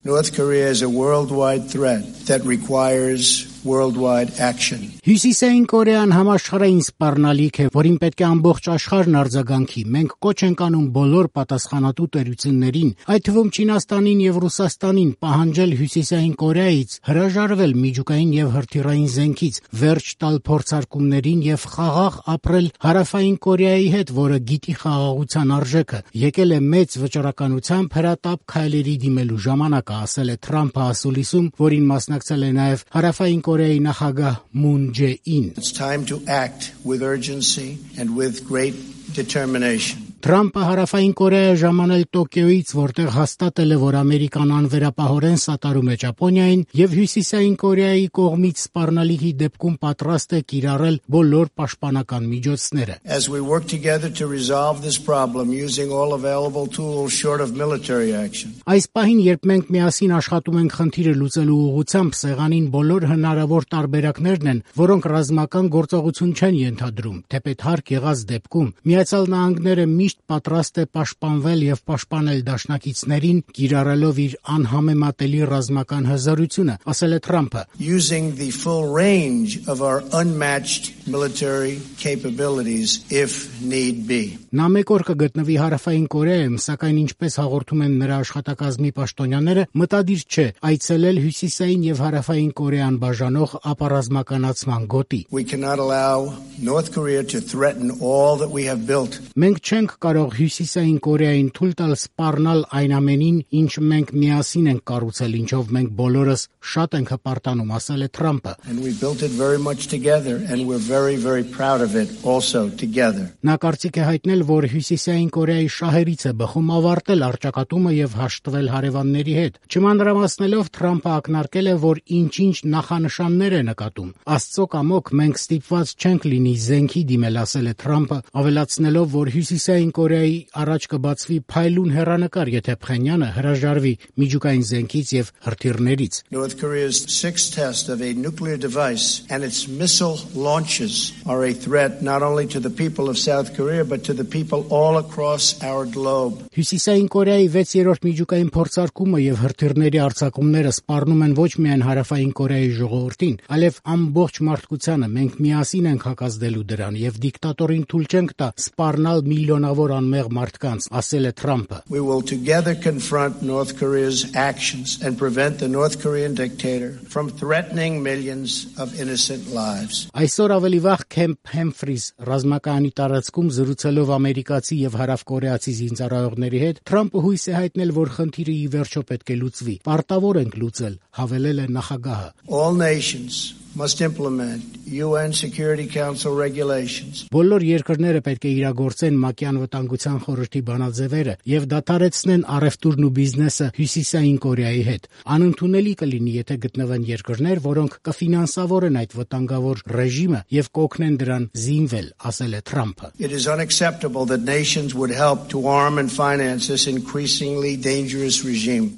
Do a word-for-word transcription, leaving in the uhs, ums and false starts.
North Korea is a worldwide threat that requires worldwide action. Հյուսիսային Կորեան համաշխարհային սպառնալիք է, որին պետք է ամբողջ աշխարհն արձագանքի։ Մենք կոչ ենք անում բոլոր պատասխանատու տերություններին, այդ թվում Չինաստանին եւ Ռուսաստանին, պահանջել Հյուսիսային Կորեայից հրաժարվել միջուկային եւ հրթիռային զենքից, վերջ տալ փորձարկումներին եւ խաղաղ ապրել Հարավային Կորեայի հետ, որը գիտի խաղաղության արժեքը։ Եկել է մեծ վճռականությամբ հրատապ քայլերի դիմելու ժամանակը, ասել է Թրամփը ասուլիսում, որին մասնակցել է նաեւ Հարավային Կորեայի նախագահ Մուն Ջե-ին. It's time to act with urgency and with great determination. Թրամփը Հարավային Կորեայը ժամանել Տոկիոյից, որտեղ հաստատել է, որ Ամերիկան անվերապահորեն սատարում է Ճապոնիային եւ Հյուսիսային Կորեայի կողմից սպառնալիքի դեպքում պատրաստ է կիրառել բոլոր պաշտպանական միջոցները։ As we work together to resolve this problem using all available tools short of military action. Այս պահին, երբ մենք միասին աշխատում ենք խնդիրը լուծելու ուղղությամբ, սեղանին բոլոր հնարավոր տարբերակներն են, որոնք ռազմական գործողություն չեն ենթադրում, թեպետ հարկ եղած դեպքում Միացյալ Նահանգները միշտ պատրաստ է պաշտպանվել եւ պաշտպանել դաշնակիցներին, կիրառելով իր անհամեմատելի ռազմական հզորությունը, ասել է Թրամփը. Using the full range of our unmatched military capabilities if need be. Նա մեկ օր կգտնվի Հարավային Կորեայում, սակայն ինչպես հաղորդում են նրա աշխատակազմի պաշտոնյաները, մտադիր չէ այցելել Հյուսիսային եւ Հարավային Կորեան բաժանող ապառազմականացման գոտի։ We cannot allow North Korea to threaten all that we have built. Մենք չենք կարող Հյուսիսային Կորեային թույլ տալ սպառնալ այն ամենին, ինչ մենք միասին ենք կառուցել, ինչով մենք բոլորս շատ ենք հպարտանում, ասել է Թրամփը։ And we built it very much together and we're very very proud of it also together. Նա կարծիք է հայտնել, որ Հյուսիսային Կորեայի շահերից է բխում ավարտել առճակատումը եւ հաշտվել հարևանների հետ։ Չմանրամասնելով Թրամփը ակնարկել է, որ ինչ-ինչ նախանշաններ է նկատում։ Աստծո կամոք մենք ստիպված չենք լինի զենքի դիմել, ասել է Թրամփը, ավելացնելով, որ Հյուսիսային Կորեայի առաջ կբացվի փայլուն հեռանկար, եթե Փխենյանը հրաժարվի միջուկային զենքից եւ հրթիռներից։ North Korea's sixth test of a nuclear device and its missile launches are a threat not only to the people of South Korea but to the people all across our globe. Հյուսիսային Կորեայի վեցերորդ միջուկային փորձարկումը եւ հրթիռների արձակումները սպառնում են ոչ միայն Հարավային Կորեայի ժողովրդին, այլև ամբողջ մարդկությանը։ Մենք միասին ենք հակազդելու դրան եւ դիկտատորին թույլ չենք տա սպառնալ միլիոնավոր անմեղ մարդկանց, ասել է Թրամփը։ We will together confront North Korea's actions and prevent the North Korean dictator from threatening millions of innocent lives. Այսօր ավելի վաղ Քեմփ Հեմֆրիս ռազմակայանի տարածքում զրուցելով ամերիկացի եւ հարավկորեացի զինծառայողների հետ, Թրամփը հույս է հայտնել, որ խնդիրը ի վերջո պետք է լուծվի։ Պարտավոր ենք լուծել, հավելել է նախագահը։ All nations must implement U N Security Council regulations. Բոլոր երկրները պետք է իրագործեն ՄԱԿ-ի անվտանգության խորհրդի բանաձևերը եւ դադարեցնեն առևտուրն ու բիզնեսը Հյուսիսային Կորեայի հետ։ Անընդունելի կլինի, եթե գտնվեն երկրներ, որոնք կֆինանսավորեն այդ վտանգավոր ռեժիմը եւ կօգնեն դրան զինվել, ասել է Թրամփը։ It is unacceptable that nations would help to arm and finance this increasingly dangerous regime.